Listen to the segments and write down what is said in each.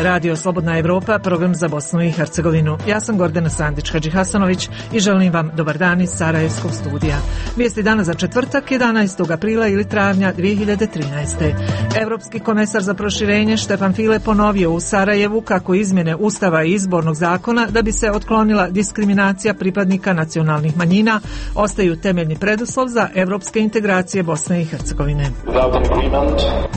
je Radio Slobodna Evropa, program za Bosnu i Hercegovinu. Ja sam Gordana Sandić-Hadžihasanović i želim vam dobar dan iz Sarajevskog studija. Vijesti dana za četvrtak, 11. aprila ili travnja 2013. Evropski komesar za proširenje Štefan File ponovio u Sarajevu kako izmjene Ustava i izbornog zakona da bi se otklonila diskriminacija pripadnika nacionalnih manjina ostaju temeljni preduslov za evropske integracije Bosne i Hercegovine.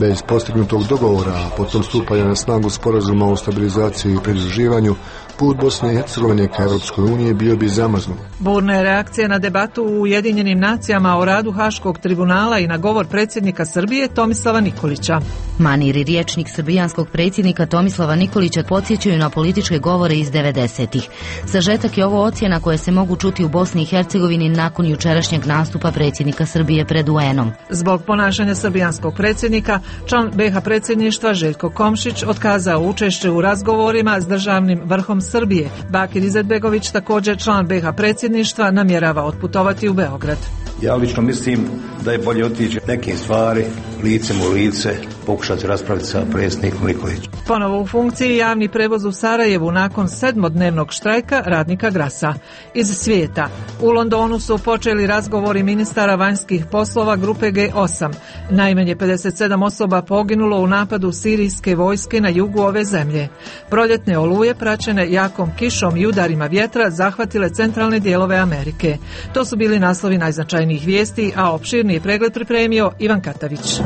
Bez postignutog dogovora, a potom stupanja na snagu sporazuma o stabilizaciji i pridruživanju, put Bosne i Hercegovine ka Europskoj uniji bio bi zamrznut. Burne reakcije na debatu u Ujedinjenim nacijama o radu Haškog tribunala i na govor predsjednika Srbije Tomislava Nikolića. Manir i rječnik srbijanskog predsjednika Tomislava Nikolića podsjećaju na političke govore iz 90-ih. Sažetak je ovo ocjena koje se mogu čuti u Bosni i Hercegovini nakon jučerašnjeg nastupa predsjednika Srbije pred UN-om. Zbog ponašanja srbijanskog predsjednika, član BiH predsjedništva Željko Komšić otkazao učešće u razgovorima s državnim vrhom Srbije. Bakir Izetbegović, također član BiH predsjedništva, namjerava otputovati u Beograd. Ja lično mislim da je bolje otići neke stvari licem u lice, pokušati raspraviti sa predsjednikom Nikolićem. Ponovo u funkciji javni prevoz u Sarajevu nakon 7-dnevnog štrajka radnika Grasa. Iz svijeta. U Londonu su počeli razgovori ministara vanjskih poslova grupe G8. Najmanje 57 osoba poginulo u napadu sirijske vojske na jugu ove zemlje. Proljetne oluje praćene jakom kišom i udarima vjetra zahvatile centralne dijelove Amerike. To su bili naslovi najznačajnijih vijesti, a opširniji pregled pripremio Ivan Katavić.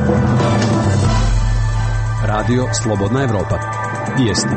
Radio Slobodna Evropa. Vijesti.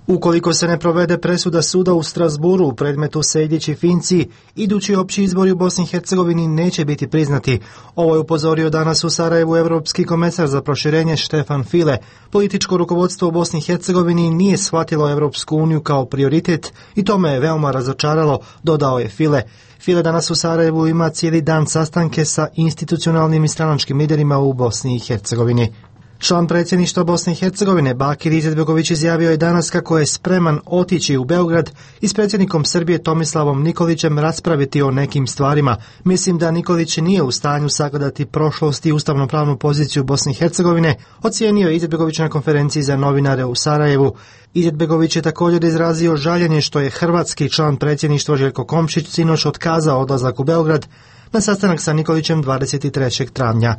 Ukoliko se ne provede presuda suda u Strasburu u predmetu Sejdić i Finci, idući opći izbori u Bosni i Hercegovini neće biti priznati. Ovo je upozorio danas u Sarajevu Evropski komesar za proširenje Štefan File. Političko rukovodstvo u Bosni i Hercegovini nije shvatilo Evropsku uniju kao prioritet i to me je veoma razočaralo, dodao je File. File danas u Sarajevu ima cijeli dan sastanke sa institucionalnim i stranačkim liderima u Bosni i Hercegovini. Član predsjedništva Bosne i Hercegovine Bakir Izetbegović izjavio je danas kako je spreman otići u Beograd i s predsjednikom Srbije Tomislavom Nikolićem raspraviti o nekim stvarima. Mislim da Nikolić nije u stanju sagledati prošlost i ustavno-pravnu poziciju Bosne i Hercegovine, ocijenio je Izetbegović na konferenciji za novinare u Sarajevu. Izetbegović je također izrazio žaljenje što je hrvatski član predsjedništva Željko Komšić sinoć otkazao odlazak u Beograd na sastanak sa Nikolićem 23. travnja.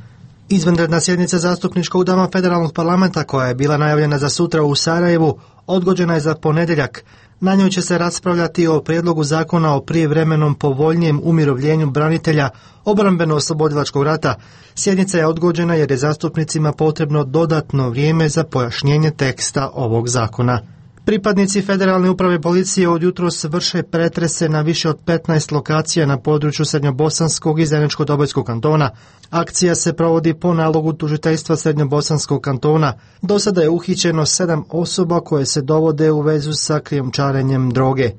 Izvanredna sjednica zastupničkog doma federalnog parlamenta koja je bila najavljena za sutra u Sarajevu odgođena je za ponedjeljak. Na njoj će se raspravljati o prijedlogu zakona o prijevremenom povoljnijem umirovljenju branitelja obrambeno-oslobodilačkog rata. Sjednica je odgođena jer je zastupnicima potrebno dodatno vrijeme za pojašnjenje teksta ovog zakona. Pripadnici Federalne uprave policije od jutros vrše pretrese na više od 15 lokacija na području Srednjobosanskog i Zeničko-Dobojskog kantona. Akcija se provodi po nalogu tužiteljstva Srednjobosanskog kantona. Do sada je uhićeno 7 osoba koje se dovode u vezu sa krijumčarenjem droge.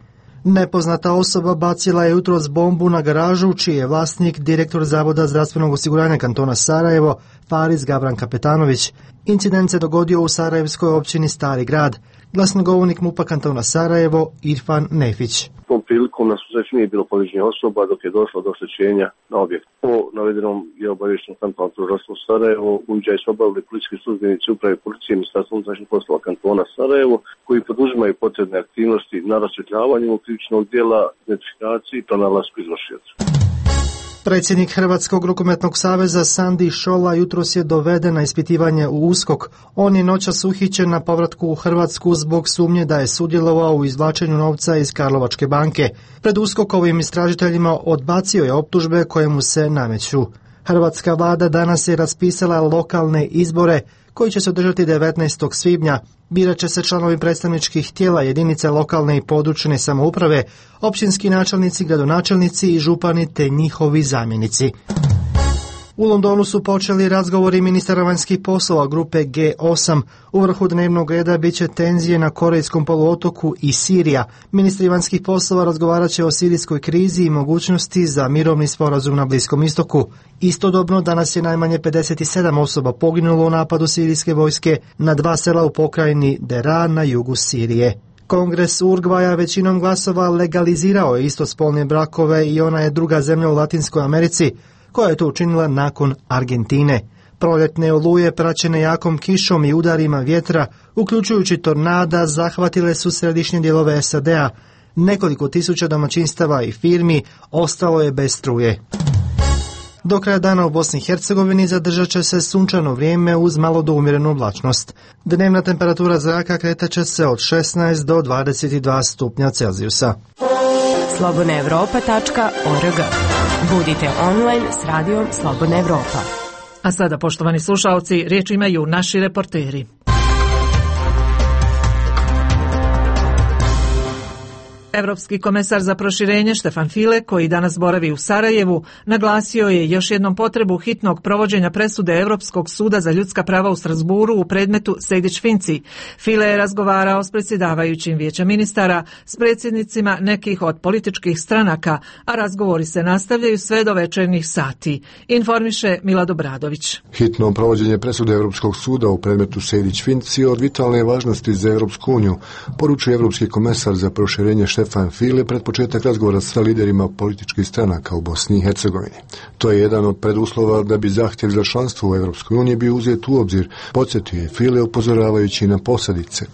Nepoznata osoba bacila je jutros bombu na garažu, čiji je vlasnik direktor Zavoda zdravstvenog osiguranja kantona Sarajevo, Faris Gabran Kapetanović. Incident se dogodio u sarajevskoj općini Stari grad. Glasnogovornik MUP-a kantona Sarajevo, Irfan Nefić. Tom prilikom na susreću nije bilo povrijeđenih osoba dok je došlo do oštećenja na objekt. Po navedenom je obavješteno kantonalno tužilaštvo Sarajevo, uviđaj su obavili policijski službenici uprave policije Ministarstva unutrašnjih poslova kantona Sarajevo, koji poduzimaju potrebne aktivnosti na rasvjetljavanju krivičnog djela, identifikaciji i pronalasku izvršioca. Predsjednik Hrvatskog rukometnog saveza Sandi Šola jutros je doveden na ispitivanje u USKOK. On je noćas uhićen na povratku u Hrvatsku zbog sumnje da je sudjelovao u izvlačenju novca iz Karlovačke banke. Pred USKOK-ovim istražiteljima odbacio je optužbe koje mu se nameću. Hrvatska vlada danas je raspisala lokalne izbore koji će se održati 19. svibnja. Birat će se članovi predstavničkih tijela jedinice lokalne i područne samouprave, općinski načelnici, gradonačelnici i župani te njihovi zamjenici. U Londonu su počeli razgovori ministara vanjskih poslova grupe G8. U vrhu dnevnog reda bit će tenzije na Korejskom poluotoku i Sirija. Ministri vanjskih poslova razgovarat će o sirijskoj krizi i mogućnosti za mirovni sporazum na Bliskom istoku. Istodobno danas je najmanje 57 osoba poginulo u napadu sirijske vojske na 2 sela u pokrajini Dera na jugu Sirije. Kongres Urugvaja većinom glasova legalizirao je istospolne brakove i ona je druga zemlja u Latinskoj Americi koja je to učinila nakon Argentine. Proljetne oluje praćene jakom kišom i udarima vjetra, uključujući tornada, zahvatile su središnje dijelove SAD-a. Nekoliko tisuća domaćinstava i firmi ostalo je bez struje. Do kraja dana u Bosni i Hercegovini zadržat će se sunčano vrijeme uz malo do umjerenu oblačnost. Dnevna temperatura zraka kretat će se od 16 do 22 stupnja Celzijusa. slobodnaevropa.org. Budite online s radijom Slobodna Evropa. A sada, poštovani slušalci, riječ imaju naši reporteri. Evropski komesar za proširenje Štefan File, koji danas boravi u Sarajevu, naglasio je još jednom potrebu hitnog provođenja presude Europskog suda za ljudska prava u Strasburu u predmetu Sejdić-Finci. File je razgovarao s predsjedavajućim Vijeća ministara, s predsjednicima nekih od političkih stranaka, a razgovori se nastavljaju sve do večernjih sati. Informiše Milad Obradović. Hitno provođenje presude Europskog suda u predmetu Sejdić-Finci od vitalne važnosti za Europsku uniju, poručuje Evropski komesar za proširenje Štefan File pred početak razgovora sa liderima političkih stranaka u Bosni i Hercegovini. To je jedan od preduslova da bi zahtjev za članstvo u Europskoj uniji bio uzet u obzir, podsjetio je File upozoravajući na posljedice.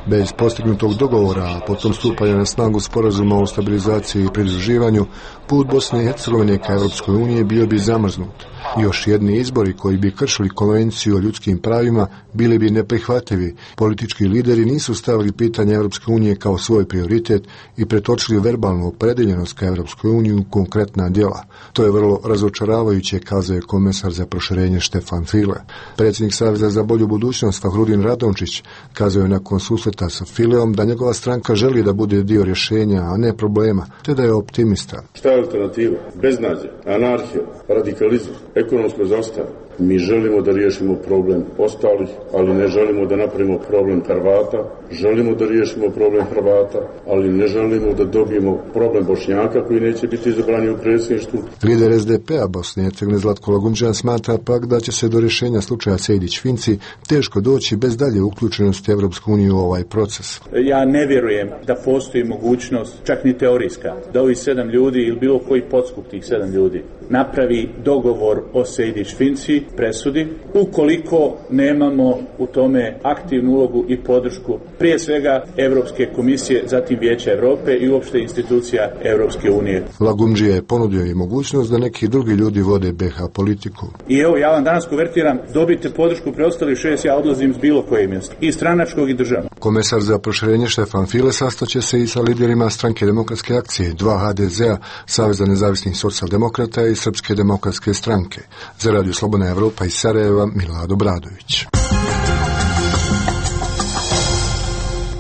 Bez postignutog dogovora, a potom stupanja na snagu sporazuma o stabilizaciji i pridruživanju, put Bosne i Hercegovine ka Europskoj uniji bio bi zamrznut. Još jedni izbori koji bi kršili konvenciju o ljudskim pravima bili bi neprihvatljivi. Politički lideri nisu stavili pitanje Europske unije kao svoj prioritet i pretočili verbalnu opredeljenost ka Europskoj uniji u konkretna djela. To je vrlo razočaravajuće, kazao je komesar za proširenje Štefan File. Predsjednik Saveza za bolju budućnost Fahrudin Radončić kazao je nakon susreta sa Fileom da njegova stranka želi da bude dio rješenja, a ne problema, te da je optimista. Šta je alternativa? Beznađe, anarhija, radikalizam, ekonomsko zaostanje. Mi želimo da riješimo problem ostalih, ali ne želimo da napravimo problem Hrvata. Želimo da riješimo problem Hrvata, ali ne želimo da dobijemo problem Bošnjaka koji neće biti izabrani u predsjedništvu. Lider SDP-a Bosne i Hercegovine Zlatko Lagumdžija smatra pak da će se do rješenja slučaja Sejdić-Finci teško doći bez dalje uključenosti Evropske unije u ovaj proces. Ja ne vjerujem da postoji mogućnost, čak ni teorijska, da ovih 7 ljudi ili bilo koji podskup tih 7 ljudi napravi dogovor o Sejdić-Finci, presudi, ukoliko nemamo u tome aktivnu ulogu i podršku prije svega Europske komisije, zatim Vijeća Europe i uopšte institucija Europske unije. Lagumdžija je ponudio i mogućnost da neki drugi ljudi vode BiH politiku. I evo, ja vam danas konvertiram, dobite podršku preostalih 6, ja odlazim s bilo koje mjesto, i stranačkog i državnog. Komesar za proširenje Štefan File sastaće se i sa liderima Stranke demokratske akcije, 2 HDZ-a, Saveza nezavisnih socijaldemokrata i Srpske demokratske stranke. Za Radio Slobodna Evropa iz Sarajeva, Milad Obradović.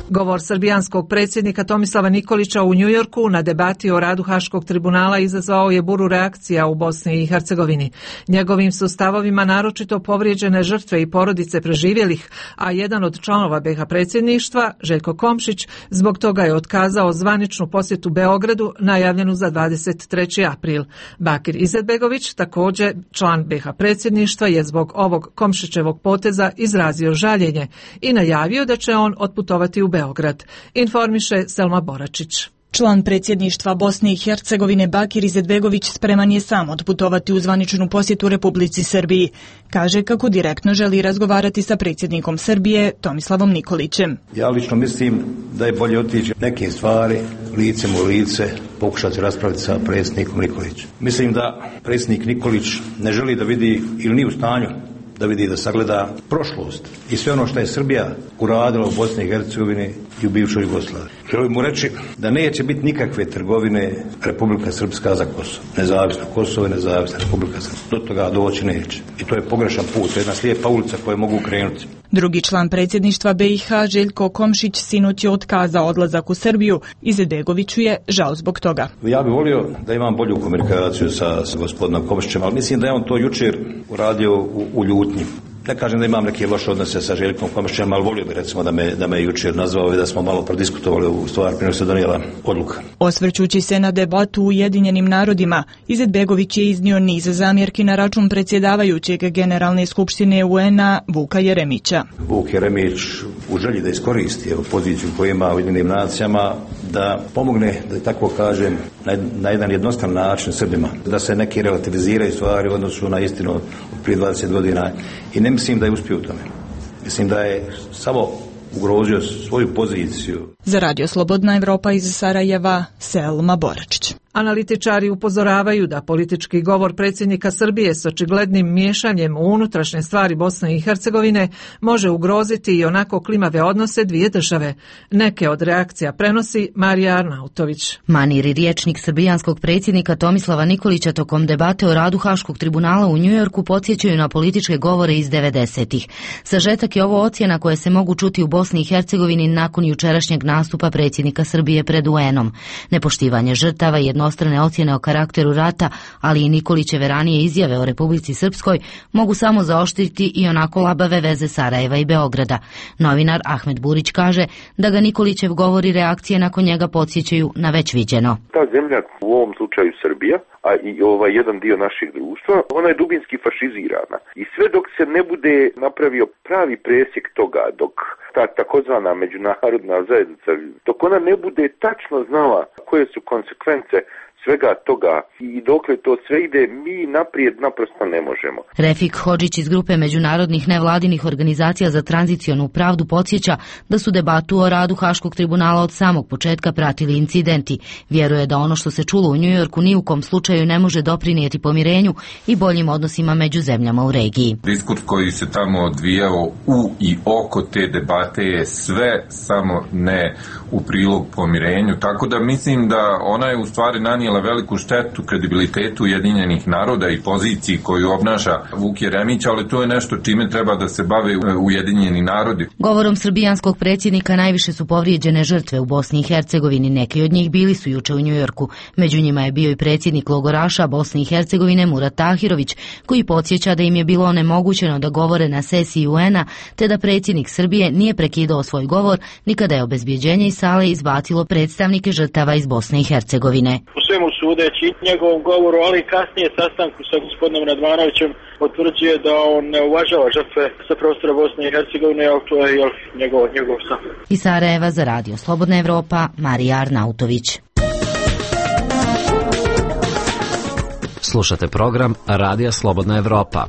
Govor srbijanskog predsjednika Tomislava Nikolića u Njujorku na debati o radu Haškog tribunala izazvao je buru reakcija u Bosni i Hercegovini. Njegovim su stavovima naročito povrijeđene žrtve i porodice preživjelih, a jedan od članova BiH predsjedništva, Željko Komšić, zbog toga je otkazao zvaničnu posjetu Beogradu najavljenu za 23. april. Bakir Izetbegović, također član BiH predsjedništva, je zbog ovog Komšićevog poteza izrazio žaljenje i najavio da će on otputovati u Beograd, informiše Selma Boračić. Član predsjedništva Bosne i Hercegovine Bakir Izetbegović spreman je sam otputovati u zvaničnu posjetu Republici Srbiji. Kaže kako direktno želi razgovarati sa predsjednikom Srbije Tomislavom Nikolićem. Ja lično mislim da je bolje otići neke stvari licem u lice, pokušati raspraviti sa predsjednikom Nikolićem. Mislim da predsjednik Nikolić ne želi da vidi ili nije u stanju da vidi, da sagleda prošlost i sve ono što je Srbija uradila u Bosni i Hercegovini i u bivšoj Jugoslaviji. Želim mu reći da neće biti nikakve trgovine Republika Srpska za Kosovo. Nezavisno Kosovo i nezavisna Republika Srpska. Do toga doći neće. I to je pogrešan put, to je jedna slijepa ulica koju mogu krenuti. Drugi član predsjedništva BiH, Željko Komšić, sinoć je otkazao odlazak u Srbiju. Izetbegoviću je žao zbog toga. Ja bih volio da imam bolju komunikaciju sa gospodinom Komšićem, ali mislim da je on to jučer uradio u ljutnji. Ne kažem da imam neke loše odnose sa Željkom Komšićem, ali volio bih recimo da me jučer nazvao i da smo malo prodiskutovali u stvar prije nego se donijela odluka. Osvrćući se na debatu u Ujedinjenim narodima, Izetbegović je iznio niz zamjerki na račun predsjedavajućeg Generalne skupštine UN-a Vuka Jeremića. Vuk Jeremić u želji da iskoristi poziciju koju ima u Ujedinjenim nacijama da pomogne, da tako kažem, na jedan jednostavan način Srbima, da se neki relativiziraju stvari u odnosu na istinu od prije 20 godina i ne mislim da je uspio u tome. Mislim da je samo ugrozio svoju poziciju. Za Radio Slobodna Evropa iz Sarajeva, Selma Boračić. Analitičari upozoravaju da politički govor predsjednika Srbije s očiglednim miješanjem u unutrašnje stvari Bosne i Hercegovine može ugroziti i onako klimave odnose dvije države. Neke od reakcija prenosi Marija Arnautović. Manir i riječnik srbijanskog predsjednika Tomislava Nikolića tokom debate o radu Haškog tribunala u Njujorku podsjećaju na političke govore iz 90-ih. Sažetak je ovo ocjena koje se mogu čuti u Bosni i Hercegovini nakon jučerašnjeg nastupa predsjednika Srbije pred UN-om. Nepoštivanje žrtava i jednostrane ocjene o karakteru rata, ali i Nikolićeve ranije izjave o Republici Srpskoj mogu samo zaoštriti i onako labave veze Sarajeva i Beograda. Novinar Ahmed Burić kaže da ga Nikolićev govor i reakcije nakon njega podsjećaju na već viđeno. Ta zemlja, u ovom slučaju Srbija, a i jedan dio našeg društva, ona je dubinski fašizirana. I sve dok se ne bude napravio pravi presjek toga, dok ta takozvana međunarodna zajednica, dok ona ne bude tačno znala koje su konsekvence svega toga i dokle to sve ide, mi naprijed naprosto ne možemo. Refik Hodžić iz grupe međunarodnih nevladinih organizacija za tranzicionu pravdu podsjeća da su debatu o radu Haškog tribunala od samog početka pratili incidenti. Vjeruje da ono što se čulo u Njujorku ni u kom slučaju ne može doprinijeti pomirenju i boljim odnosima među zemljama u regiji. Diskurs koji se tamo odvijao u i oko te debate je sve samo ne u prilog pomirenju, tako da mislim da ona je u stvari nanijela veliku štetu kredibilitetu Ujedinjenih naroda i poziciji koju obnaša Vuk Jeremić, ali to je nešto čime treba da se bave Ujedinjeni narodi. Govorom srbijanskog predsjednika najviše su povrijeđene žrtve u Bosni i Hercegovini. Neki od njih bili su juče u Njujorku. Među njima je bio i predsjednik logoraša Bosne i Hercegovine Murat Tahirović, koji podsjeća da im je bilo onemogućeno da govore na sesiji UN-a, te da predsjednik Srbije nije prekidao svoj govor ni kada je obezbjeđenje iz sale izbacilo predstavnike žrtava iz Bosne i Hercegovine. Svemu sudeći njegovom govoru, ali i kasnije sastanku sa gospodinom Radmanovićem potvrđuje da on ne uvažava žrtve sa prostora Bosne i Hercegovine, ali to je njegov stav. Iz Sarajeva za Radio Slobodna Evropa, Marija Arnautović. Slušate program Radija Slobodna Evropa.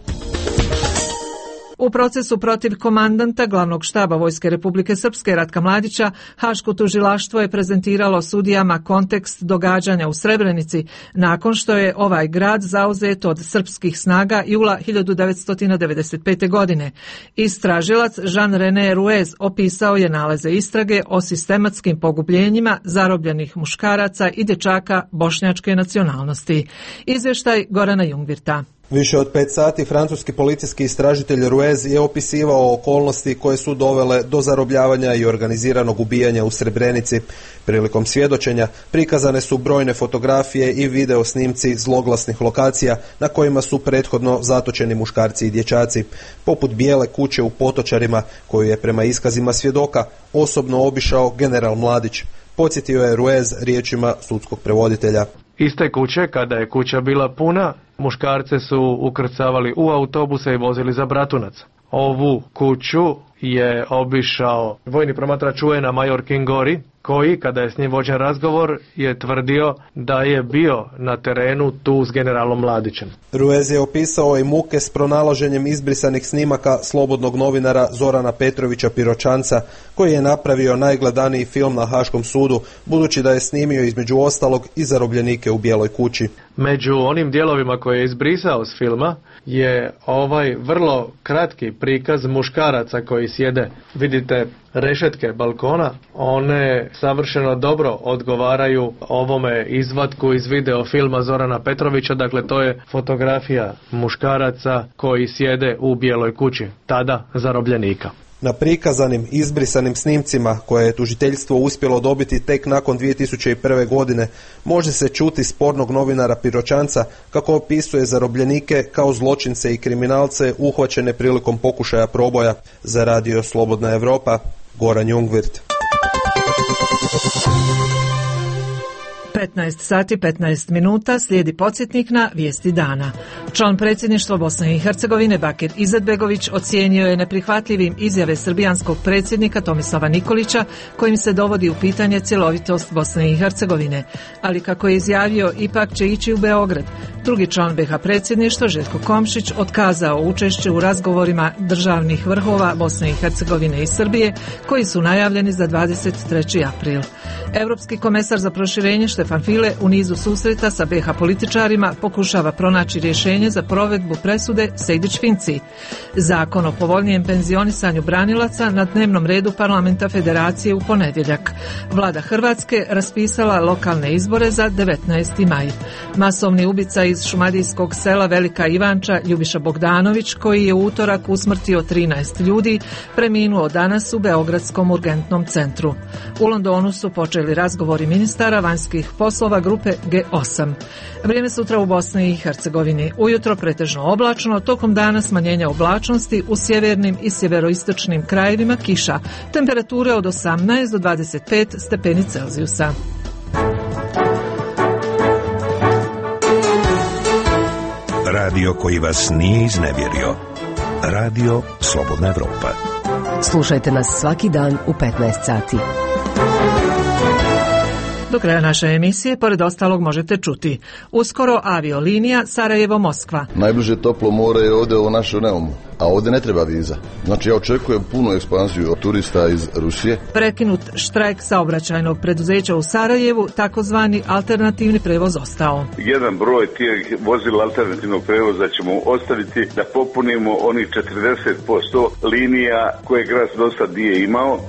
U procesu protiv komandanta glavnog štaba Vojske Republike Srpske Ratka Mladića, Haško tužilaštvo je prezentiralo sudijama kontekst događanja u Srebrenici nakon što je ovaj grad zauzet od srpskih snaga jula 1995. godine. Istražilac Jean-René Ruez opisao je nalaze istrage o sistematskim pogubljenjima zarobljenih muškaraca i dječaka bošnjačke nacionalnosti. Izvještaj Gorana Jungvirta. Više od 5 sati francuski policijski istražitelj Ruez je opisivao okolnosti koje su dovele do zarobljavanja i organiziranog ubijanja u Srebrenici. Prilikom svjedočenja prikazane su brojne fotografije i video snimci zloglasnih lokacija na kojima su prethodno zatočeni muškarci i dječaci, poput bijele kuće u Potočarima koju je prema iskazima svjedoka osobno obišao general Mladić. Podsjetio je Ruez riječima sudskog prevoditelja. Iz te kuće, kada je kuća bila puna, muškarce su ukrcavali u autobuse i vozili za Bratunac. Ovu kuću je obišao vojni promatrač UN-a major Kingori, koji, kada je s njim vođen razgovor, je tvrdio da je bio na terenu tu s generalom Mladićem. Ruez je opisao i muke s pronalaženjem izbrisanih snimaka slobodnog novinara Zorana Petrovića Piroćanca, koji je napravio najgledaniji film na Haškom sudu, budući da je snimio između ostalog i zarobljenike u Bijeloj kući. Među onim dijelovima koje je izbrisao s filma je ovaj vrlo kratki prikaz muškaraca koji sjede. Vidite rešetke balkona, one savršeno dobro odgovaraju ovome izvatku iz video filma Zorana Petrovića, dakle to je fotografija muškaraca koji sjede u Bijeloj kući, tada zarobljenika. Na prikazanim izbrisanim snimcima koje je tužiteljstvo uspjelo dobiti tek nakon 2001. godine može se čuti spornog novinara Piroćanca kako opisuje zarobljenike kao zločince i kriminalce uhvaćene prilikom pokušaja proboja. Za Radio Slobodna Evropa, Goran Jungvirt. 15 sati 15 minuta slijedi podsjetnik na vijesti dana. Član predsjedništva Bosne i Hercegovine Bakir Izetbegović ocijenio je neprihvatljivim izjave srbijanskog predsjednika Tomislava Nikolića kojim se dovodi u pitanje cjelovitost Bosne i Hercegovine, ali kako je izjavio ipak će ići u Beograd. Drugi član BiH predsjedništva Željko Komšić otkazao učešće u razgovorima državnih vrhova Bosne i Hercegovine i Srbije koji su najavljeni za 23. april. Europski komesar za proširenje Štefan File u nizu susreta sa BiH političarima pokušava pronaći rješenje za provedbu presude Sejdić-Finci. Zakon o povoljnijem penzionisanju branilaca na dnevnom redu Parlamenta Federacije u ponedjeljak. Vlada Hrvatske raspisala lokalne izbore za 19. maj. Masovni ubica iz šumadijskog sela Velika Ivanča Ljubiša Bogdanović, koji je u utorak usmrtio 13 ljudi, preminuo danas u Beogradskom urgentnom centru. U Londonu su počeli razgovori ministara vanjskih poslova grupe G8. Vrijeme sutra u Bosni i Hercegovini. Ujutro pretežno oblačno, tokom dana smanjenja oblačnosti, u sjevernim i sjeveroistočnim krajevima kiša. Temperature od 18 do 25 stepeni Celzijusa. Radio koji vas nije iznevjerio. Radio Slobodna Evropa. Slušajte nas svaki dan u 15 sati. Do kraja naše emisije, pored ostalog, možete čuti: uskoro aviolinija Sarajevo-Moskva. Najbliže toplo more je ovdje u našem Neumu, a ovdje ne treba viza. Znači ja očekujem punu ekspanziju od turista iz Rusije. Prekinut štrajk saobraćajnog preduzeća u Sarajevu, takozvani alternativni prevoz ostao. Jedan broj tih vozila alternativnog prevoza ćemo ostaviti da popunimo onih 40% linija koje grad do sad nije imao.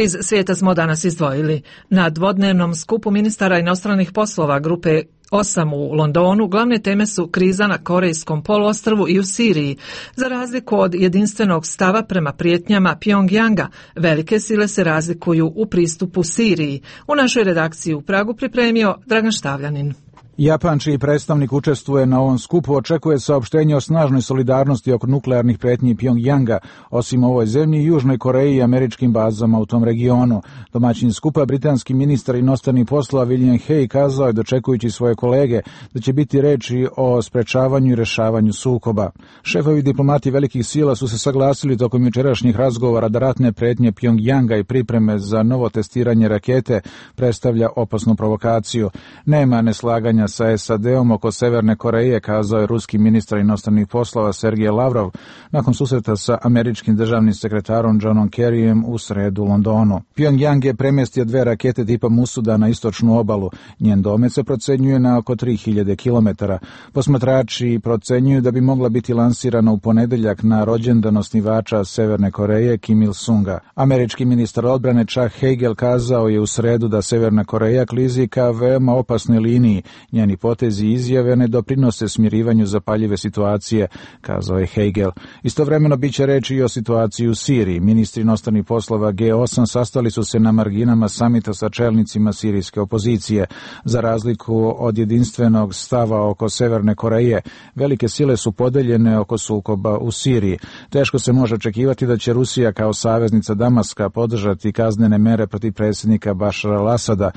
Iz svijeta smo danas izdvojili: na dvodnevnom skupu ministara inostranih poslova grupe 8 u Londonu glavne teme su kriza na Korejskom poluostrvu i u Siriji. Za razliku od jedinstvenog stava prema prijetnjama Pjongjanga, velike sile se razlikuju u pristupu Siriji. U našoj redakciji u Pragu pripremio Dragan Štavljanin. Japan, čiji predstavnik učestvuje na ovom skupu, očekuje saopštenje o snažnoj solidarnosti oko nuklearnih pretnji Pjongjanga, osim ovoj zemlji, Južnoj Koreji i američkim bazama u tom regionu. Domaćin skupa, britanski ministar inostranih poslova William Hague, kazao je, dočekujući svoje kolege, da će biti reči o sprečavanju i rešavanju sukoba. Šefovi diplomati velikih sila su se saglasili tokom jučerašnjih razgovora da ratne pretnje Pjongjanga i pripreme za novo testiranje rakete predstavlja opasnu provokaciju. Nema neslaganja sa SAD-om oko Severne Koreje, kazao je ruski ministar inostranih poslova Sergej Lavrov nakon susreta sa američkim državnim sekretarom Johnom Kerryjem u sredu u Londonu. Pjongjang je premjestio 2 rakete tipa Musuda na istočnu obalu. Njen domet se procenjuje na oko 3000 km. Posmatrači procenjuju da bi mogla biti lansirana u ponedjeljak na rođendan osnivača Severne Koreje Kim Il-sunga. Američki ministar odbrane Chuck Hagel kazao je u sredu da Severna Koreja klizi ka veoma opasnoj liniji. Njeni potezi i izjave ne doprinose smirivanju zapaljive situacije, kazao je Hagel. Istovremeno biće reči i o situaciji u Siriji. Ministri inostranih poslova G8 sastali su se na marginama samita sa čelnicima sirijske opozicije. Za razliku od jedinstvenog stava oko Severne Koreje, velike sile su podeljene oko sukoba u Siriji. Teško se može očekivati da će Rusija kao saveznica Damaska podržati kaznene mere protiv predsjednika Bašara al-Asada.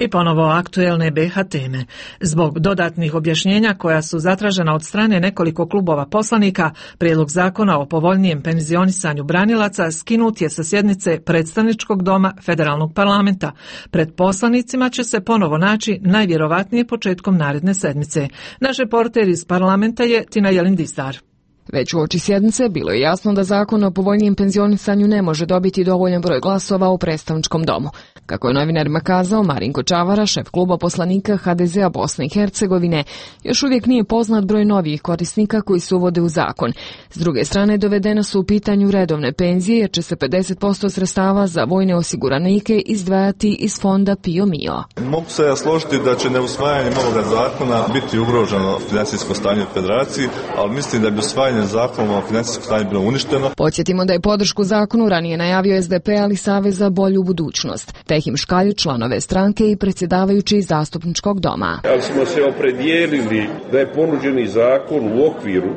I ponovo aktuelne BiH teme. Zbog dodatnih objašnjenja koja su zatražena od strane nekoliko klubova poslanika, prijedlog zakona o povoljnijem penzionisanju branilaca skinut je sa sjednice predstavničkog doma Federalnog parlamenta. Pred poslanicima će se ponovo naći najvjerovatnije početkom naredne sedmice. Naš reporter iz parlamenta je Tina Jelin-Dizdar. Već uoči sjednice bilo je jasno da zakon o povoljnijem penzionisanju ne može dobiti dovoljan broj glasova u predstavničkom domu. Kako je novinarima kazao Marinko Čavara, šef kluba poslanika HDZ-a Bosne i Hercegovine, još uvijek nije poznat broj novih korisnika koji se uvode u zakon. S druge strane, dovedena su u pitanju redovne penzije, jer će se 50% sredstava za vojne osiguranike izdvajati iz fonda Pio Mio. Mogu se ja složiti da će neusvajanjem ovoga zakona biti ugroženo financijsko stanje u federaciji, ali mislim da bi usvajanje usvajanjem zakona o financijskom stanju bilo uništeno. Podsjetimo da je podršku zakonu ranije najavio SDP, ali Savez za bolju budućnost. Tehim škalju članove stranke i predsjedavajući zastupničkog doma. Ali smo se opredijelili da je ponuđeni zakon u okviru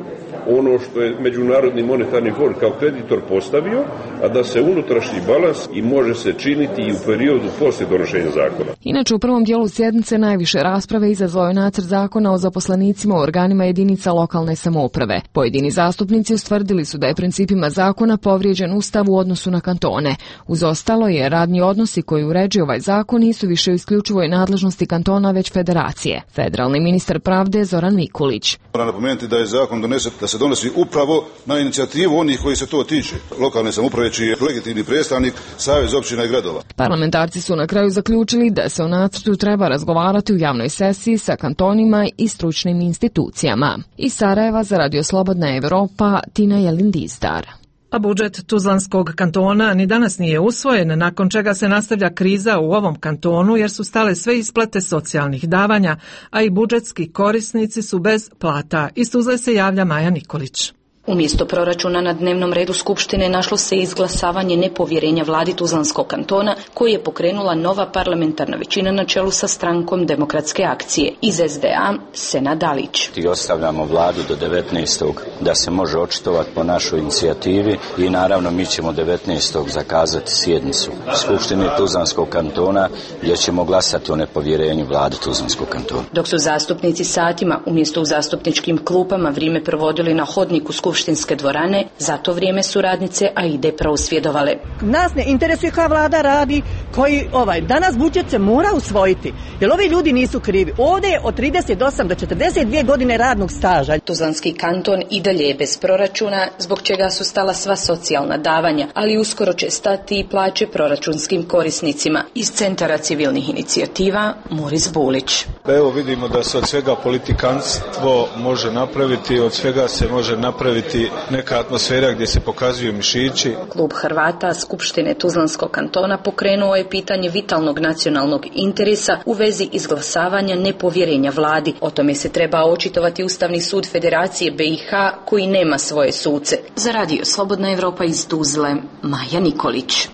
ono što je Međunarodni monetarni fond kao kreditor postavio, a da se unutrašnji balans i može se činiti i u periodu poslije donošenja zakona. Inače, u prvom dijelu sjednice najviše rasprave izazvao je nacrt zakona o zaposlenicima u organima jedinica lokalne samouprave. Pojedini zastupnici ustvrdili su da je principima zakona povrijeđen Ustav u odnosu na kantone. Uz ostalo je radni odnosi koji uređuju ovaj zakon nisu više u isključivoj nadležnosti kantona, već federacije. Federalni ministar pravde Zoran Mikulić. Moram napomenuti da je zakon donesen, da se donosi upravo na inicijativu onih koji se to tiče. Lokalne samouprave čiji je legitimni predstavnik Savez općina i gradova. Parlamentarci su na kraju zaključili da se o nacrtu treba razgovarati u javnoj sesiji sa kantonima i stručnim institucijama. Iz Sarajeva za Radio Slobodna Evropa, Tina Jelin-Dizdar. A budžet Tuzlanskog kantona ni danas nije usvojen, nakon čega se nastavlja kriza u ovom kantonu jer su stale sve isplate socijalnih davanja, a i budžetski korisnici su bez plata. Iz Tuzle se javlja Maja Nikolić. Umjesto proračuna na dnevnom redu Skupštine našlo se izglasavanje nepovjerenja vladi Tuzlanskog kantona koji je pokrenula nova parlamentarna većina na čelu sa strankom Demokratske akcije. Iz SDA Senad Dalić. I ostavljamo vladu do 19. da se može očitovati po našoj inicijativi i naravno mi ćemo 19. zakazati sjednicu Skupštine Tuzlanskog kantona gdje ćemo glasati o nepovjerenju vladi Tuzlanskog kantona. Dok su zastupnici satima umjesto u zastupničkim klupama vrijeme provodili na hodniku skupštinske dvorane, za to vrijeme su radnice AIDE prosvjedovale. Nas ne interesuje koja vlada radi, koji danas budžet se mora usvojiti, jer ovi ljudi nisu krivi. Ovdje je od 38 do 42 godine radnog staža. Tuzlanski kanton i dalje je bez proračuna, zbog čega su stala sva socijalna davanja, ali uskoro će stati i plaće proračunskim korisnicima. Iz Centara civilnih inicijativa Moris Bulić. Evo vidimo da se od svega politikanstvo može napraviti, od svega se može napraviti neka atmosfera gdje se pokazuju mišići. Klub Hrvata Skupštine Tuzlanskog kantona pokrenuo je pitanje vitalnog nacionalnog interesa u vezi izglasavanja nepovjerenja vladi. O tome se treba očitovati Ustavni sud Federacije BiH koji nema svoje suce. Za Radio Slobodna Evropa iz Tuzle, Maja Nikolić.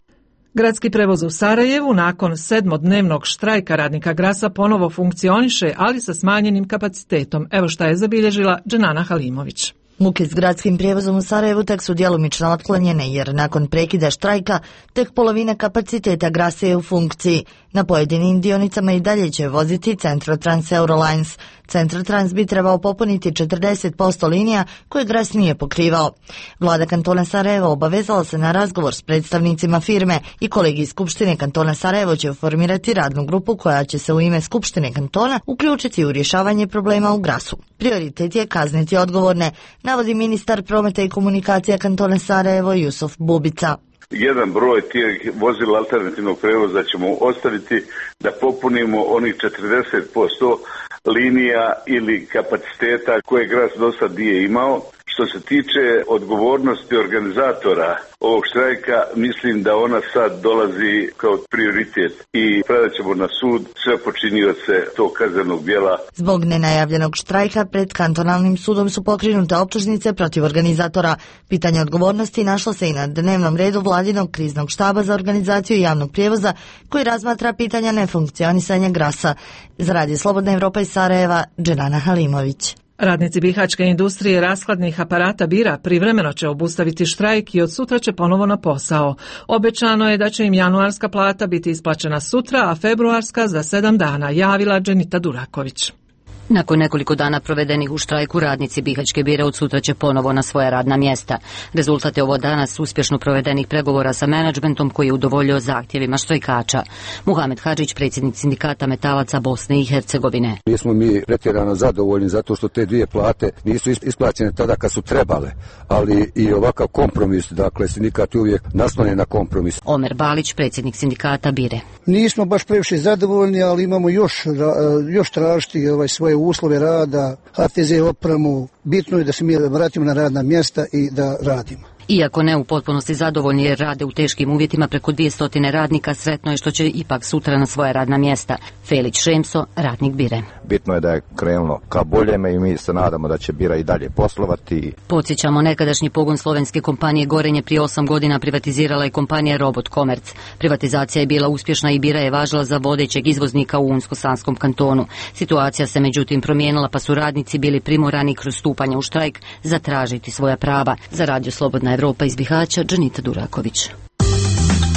Gradski prevoz u Sarajevu nakon 7-dnevnog štrajka radnika Grasa ponovo funkcioniše, ali sa smanjenim kapacitetom. Evo šta je zabilježila Dženana Halimović. Muke s gradskim prijevozom u Sarajevu tek su djelomično otklonjene jer nakon prekida štrajka tek polovina kapaciteta Grasa je u funkciji. Na pojedinim dionicama i dalje će voziti Centrotrans Eurolines. Centrotrans bi trebao popuniti 40% linija koje Gras nije pokrivao. Vlada kantona Sarajevo obavezala se na razgovor s predstavnicima firme i kolegij Skupštine kantona Sarajevo će formirati radnu grupu koja će se u ime Skupštine kantona uključiti u rješavanje problema u Grasu. Prioritet je kazniti odgovorne, navodi ministar prometa i komunikacija kantona Sarajevo Jusuf Bubica. Jedan broj tih vozila alternativnog prevoza ćemo ostaviti da popunimo onih 40% linija ili kapaciteta koje Gras do sad nije imao. Što se tiče odgovornosti organizatora ovog štrajka, mislim da ona sad dolazi kao prioritet i predat ćemo na sud sve počinioce tog kaznenog djela. Zbog nenajavljenog štrajka pred kantonalnim sudom su pokrenute optužnice protiv organizatora. Pitanje odgovornosti našlo se i na dnevnom redu vladinog kriznog štaba za organizaciju javnog prijevoza koji razmatra pitanja nefunkcionisanja Grasa. Za Radio Slobodna Evropa iz Sarajeva, Dženana Halimović. Radnici bihaćke industrije rashladnih aparata bira privremeno će obustaviti štrajk i od sutra će ponovo na posao. Obećano je da će im januarska plata biti isplaćena sutra, a februarska za 7 dana, javila Dženita Duraković. Nakon nekoliko dana provedenih u štrajku, radnici bihaćke bire od sutra će ponovo na svoja radna mjesta. Rezultat je ovo danas uspješno provedenih pregovora sa menadžmentom koji je udovoljio zahtjevima štrajkača. Muhamed Hadžić, predsjednik sindikata metalaca Bosne i Hercegovine. Nismo mi pretjerano zadovoljni zato što te dvije plate nisu isplaćene tada kad su trebale, ali i ovakav kompromis, dakle sindikat je uvijek naslonjen na kompromis. Omer Balić, predsjednik sindikata Bire. Nismo baš previše zadovoljni, ali imamo još tražiti svoje uslove rada, HTZ opremu. Bitno je da se mi vratimo na radna mjesta i da radimo. Iako ne u potpunosti zadovoljni jer rade u teškim uvjetima preko 200 radnika, sretno je što će ipak sutra na svoja radna mjesta. Felić Šemso, radnik Bire. Bitno je da je krenulo ka boljeme i mi se nadamo da će Bira i dalje poslovati. Podsjećamo, nekadašnji pogon slovenske kompanije Gorenje prije 8 godina privatizirala je kompanija Robot Komerc. Privatizacija je bila uspješna i Bira je važila za vodećeg izvoznika u Unsko-Sanskom kantonu. Situacija se međutim promijenila pa su radnici bili primorani kroz stupanje u štrajk zatražiti svoja prava. Za Radio Slobodna Evropa iz Bihaća, Džanita Duraković.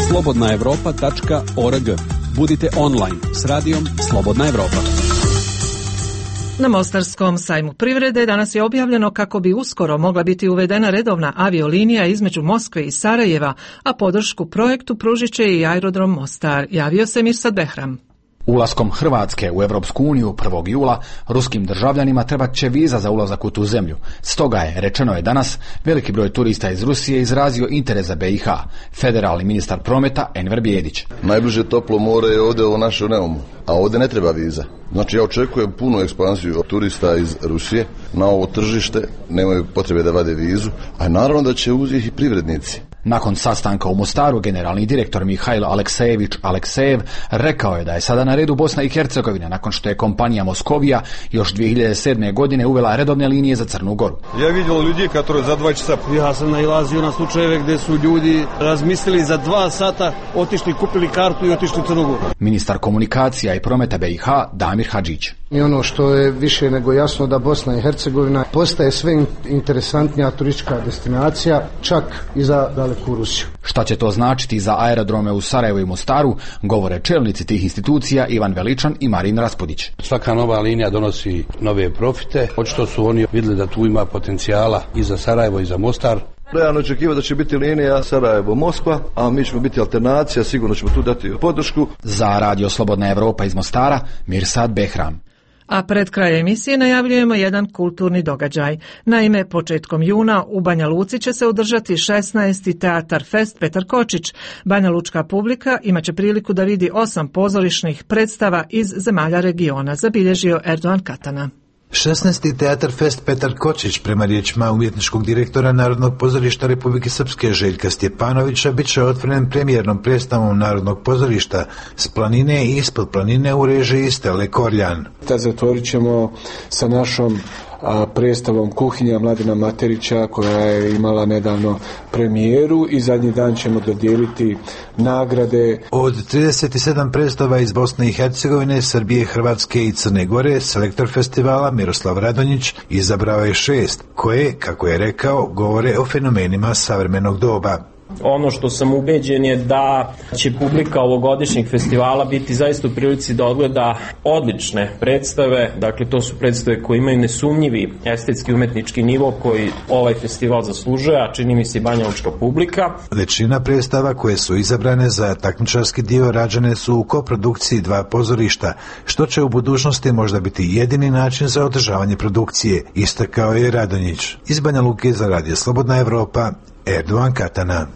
slobodnaevropa.org. Budite online s radijom Slobodna Evropa. Na Mostarskom sajmu privrede danas je objavljeno kako bi uskoro mogla biti uvedena redovna aviolinija između Moskve i Sarajeva, a podršku projektu pružit će i aerodrom Mostar. Javio se Mirsad Behram. Ulaskom Hrvatske u Europsku uniju 1. jula ruskim državljanima trebat će viza za ulazak u tu zemlju. Stoga je, rečeno je danas, veliki broj turista iz Rusije izrazio interes za BiH. Federalni ministar prometa Enver Bijedić. Najbliže toplo more je ovdje u našem Neumu, a ovdje ne treba viza. Znači ja očekujem punu ekspansiju turista iz Rusije na ovo tržište, nemaju potrebe da vade vizu, a naravno da će uzeti i privrednici. Nakon sastanka u Mostaru, generalni direktor Mihajlo Aleksejev rekao je da je sada na redu Bosna i Hercegovina nakon što je kompanija Moskovija još 2007. godine uvela redovne linije za Crnu Goru. Ja vidio ljudi koji za 2 časa. Ja sam nailazio na slučajeve gdje su ljudi razmislili za 2 sata, otišli, kupili kartu i otišli u Crnu Goru. Ministar komunikacija i prometa BiH Damir Hadžić. I ono što je više nego jasno da Bosna i Hercegovina postaje sve interesantnija turistička destinacija, čak i za daleku Rusiju. Šta će to značiti za aerodrome u Sarajevu i Mostaru, govore čelnici tih institucija Ivan Veličan i Marin Raspudić. Svaka nova linija donosi nove profite. Očito su oni vidjeli da tu ima potencijala i za Sarajevo i za Mostar. Realno očekivati da će biti linija Sarajevo-Moskva, a mi ćemo biti alternacija, sigurno ćemo tu dati podršku. Za Radio Slobodna Evropa iz Mostara, Mirsad Behram. A pred kraj emisije najavljujemo jedan kulturni događaj. Naime, početkom juna u Banja Luci će se održati 16. Teatar Fest Petar Kočić. Banja Lučka publika imaće priliku da vidi 8 pozorišnih predstava iz zemalja regiona, zabilježio Erdogan Katana. 16. Teatar Fest Petar Kočić, prema riječima umjetničkog direktora Narodnog pozorišta Republike Srpske Željka Stjepanovića, bit će otvoren premijernom predstavom Narodnog pozorišta S planine i ispod planine u režiji Stele Korljan. Zatvorit ćemo sa našom predstavom Kuhinja Mladena Materića koja je imala nedavno premijeru i zadnji dan ćemo dodijeliti nagrade. Od 37 predstava iz Bosne i Hercegovine, Srbije, Hrvatske i Crne Gore, selektor festivala Miroslav Radonjić izabrao je 6 koje, kako je rekao, govore o fenomenima savremenog doba. Ono što sam ubeđen je da će publika ovogodišnjeg festivala biti zaista u prilici da odgleda odlične predstave. Dakle, to su predstave koje imaju nesumnjivi estetski umetnički nivo koji ovaj festival zaslužuje, a čini mi se i Banja Lučka publika. Većina predstava koje su izabrane za takmičarski dio rađene su u koprodukciji 2 pozorišta, što će u budućnosti možda biti jedini način za održavanje produkcije, istakao je Radonjić. Iz Banja Luke za Radio Slobodna Evropa, Erdogan Katana.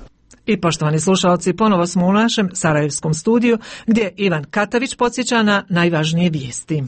I poštovani slušalci, ponovo smo u našem sarajevskom studiju gdje Ivan Katavić podsjeća na najvažnije vijesti.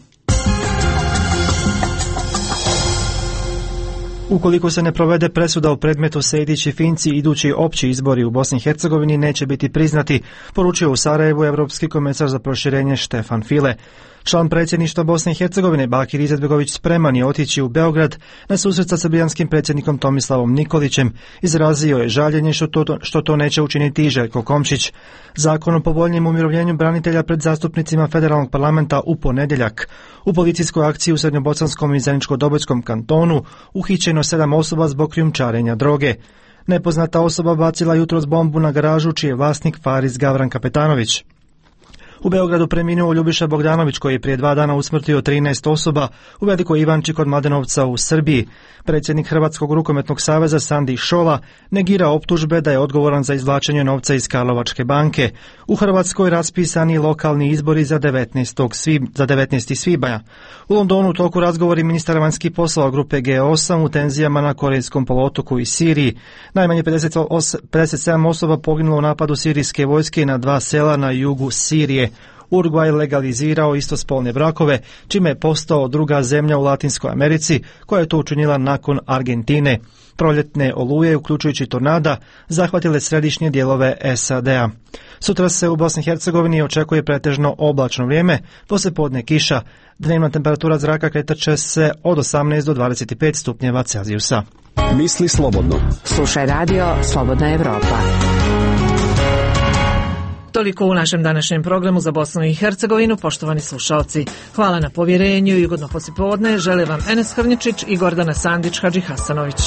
Ukoliko se ne provede presuda u predmetu Sejdić i Finci, idući opći izbori u Bosni i Hercegovini neće biti priznati, poručio u Sarajevu Evropski komesar za proširenje Štefan File. Član predsjedništva Bosne i Hercegovine Bakir Izetbegović spreman je otići u Beograd na susret sa srbijanskim predsjednikom Tomislavom Nikolićem. Izrazio je žaljenje što to neće učiniti i Željko Komšić. Zakon o povoljnijem umirovljenju branitelja pred zastupnicima federalnog parlamenta u ponedjeljak. U policijskoj akciji u Srednjobosanskom i Zeničko-Dobojskom kantonu uhićeno 7 osoba zbog krijumčarenja droge. Nepoznata osoba bacila jutros bombu na garažu čiji je vlasnik Faris Gavran Kapetanović. U Beogradu preminuo Ljubiša Bogdanović koji je prije 2 dana usmrtio 13 osoba u Velikoj Ivanči kod Mladenovca u Srbiji. Predsjednik Hrvatskog rukometnog saveza Sandi Šola negira optužbe da je odgovoran za izvlačenje novca iz Karlovačke banke. U Hrvatskoj raspisani lokalni izbori za 19. svibanja. U Londonu u toku razgovori ministara vanjskih poslova grupe G8 u tenzijama na Korejskom poluotoku i Siriji. Najmanje 57 osoba poginulo u napadu sirijske vojske na 2 sela na jugu Sirije. Urugvaj legalizirao istospolne brakove, čime je postao druga zemlja u Latinskoj Americi koja je to učinila nakon Argentine. Proljetne oluje, uključujući tornada, zahvatile središnje dijelove SAD-a. Sutra se u Bosni i Hercegovini očekuje pretežno oblačno vrijeme, poslijepodne kiša. Dnevna temperatura zraka kretat će se od 18 do 25 stupnjeva Celzijusa. Misli slobodno. Slušaj radio Slobodna Evropa. Toliko u našem današnjem programu za Bosnu i Hercegovinu, poštovani slušalci. Hvala na povjerenju i ugodno poslijepodne. Žele vam Enes Hrnječić i Gordana Sandić Hadži Hasanović.